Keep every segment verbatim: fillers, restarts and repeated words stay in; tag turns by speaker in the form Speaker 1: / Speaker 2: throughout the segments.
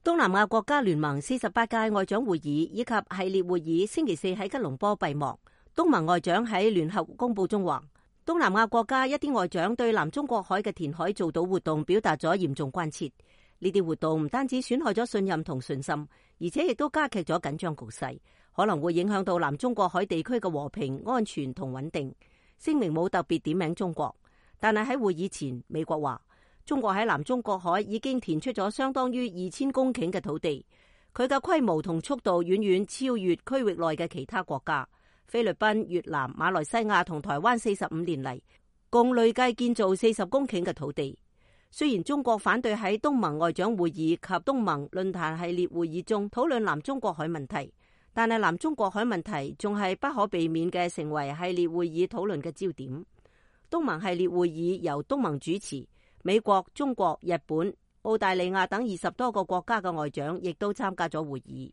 Speaker 1: 東南亞國家聯盟四十八屆外長會議以及系列會議星期四喺吉隆坡閉幕。東盟外長喺聯合公報中話，東南亞國家一啲外長對南中國海嘅填海造島活動表達咗嚴重關切。呢啲活動唔單止損害咗信任同信心，而且亦都加劇咗緊張局勢，可能會影響到南中國海地區嘅和平、安全同穩定。聲明冇特別點名中國，但係喺會議前，美國話中國喺南中國海已經填出咗相當於二千公頃嘅土地，佢嘅規模同速度遠遠超越區域內嘅其他國家。菲律賓、越南、馬來西亞同台灣四十五年嚟共累計建造四十公頃嘅土地。雖然中國反對喺東盟外長會議及東盟論壇系列會議中討論南中國海問題，但係南中國海問題仲係不可避免嘅成為系列會議討論嘅焦點。東盟系列會議由東盟主持，美國、中國、日本、澳大利亞等二十多個國家嘅外長亦都參加咗會議。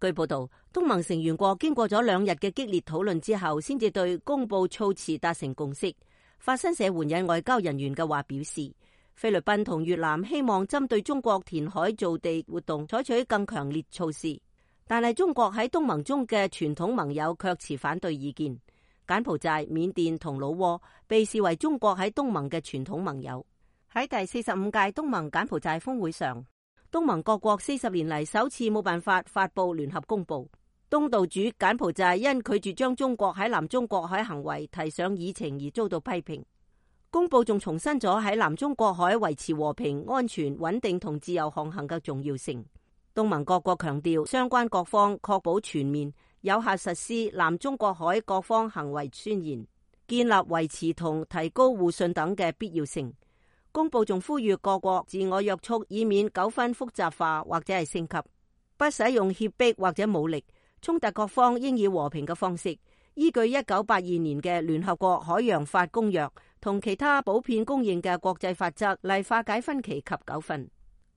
Speaker 1: 據報道，東盟成員國經過咗兩日嘅激烈討論之後，先至對公布措辭達成共識。法新社援引外交人員嘅話表示，菲律賓同越南希望針對中國填海造地活動採取更強烈措施，但係中國喺東盟中嘅傳統盟友卻持反對意見。柬埔寨、緬甸同老撾被視為中國喺東盟嘅傳統盟友。喺第四十五屆東盟柬埔寨峰會上，東盟各國四十年嚟首次冇辦法發布聯合公報。東道主柬埔寨因拒絕將中國喺南中國海行為提上議程而遭到批評。公報仲重申咗喺南中國海維持和平、安全、穩定同自由航行嘅重要性。東盟各國強調相關各方確保全面有效實施南中國海各方行為宣言，建立維持同提高互信等嘅必要性。公報仲呼籲各國自我約束，以免糾紛複雜化或者係升級，不使用脅迫或者武力。衝突各方應以和平嘅方式，依據一九八二年嘅聯合國海洋法公約同其他普遍公認嘅國際法則嚟化解分歧及糾紛。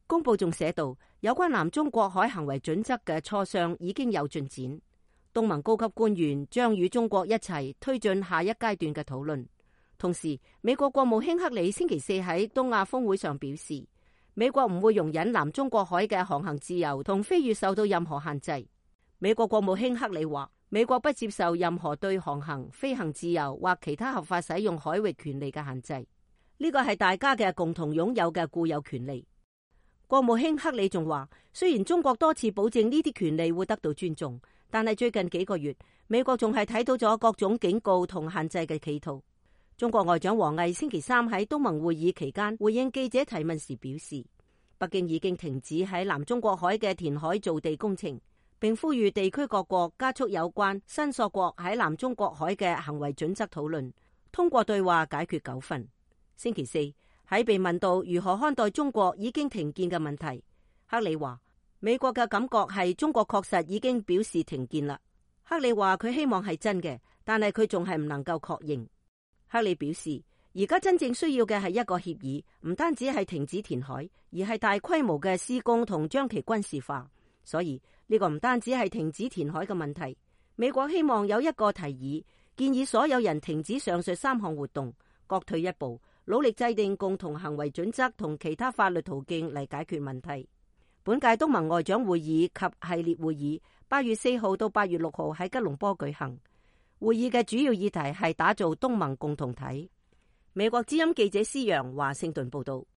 Speaker 1: 公報仲寫道，有關南中國海行為準則嘅磋商已經有進展，東盟高級官員將與中國一齊推進下一階段嘅討論。同時，美國國務卿克里星期四喺東亞峰會上表示，美國唔會容忍南中國海嘅航行自由同飛越受到任何限制。美國國務卿克里話，美國不接受任何對航行、飛行自由或其他合法使用海域權利嘅限制，呢個係大家嘅共同擁有嘅固有權利。國務卿克里仲話，雖然中國多次保證呢啲權利會得到尊重，但係最近幾個月，美國仲係睇到咗各種警告同限制嘅企圖。中國外長王毅星期三喺東盟會議期間回應記者提問時表示，北京已經停止喺南中國海嘅填海造地工程，並呼籲地區各國加速有關申索國喺南中國海嘅行為準則討論，通過對話解決糾紛。星期四喺被問到如何看待中國已經停建嘅問題，克里話，美國嘅感覺係中國確實已經表示停建啦。克里話佢希望係真嘅，但係佢仲係唔能夠確認。克里表示，而家真正需要嘅係一個協議，唔單止係停止填海，而係大規模嘅施工同將其軍事化。所以呢個唔單止係停止填海嘅問題，美國希望有一個提議，建議所有人停止上述三項活動，各退一步，努力制定共同行為準則同其他法律途徑嚟解決問題。本屆東盟外長會議及系列會議八月四號到八月六號喺吉隆坡舉行。會議嘅主要議題係打造東盟共同體。美國之音記者施洋華盛頓報道。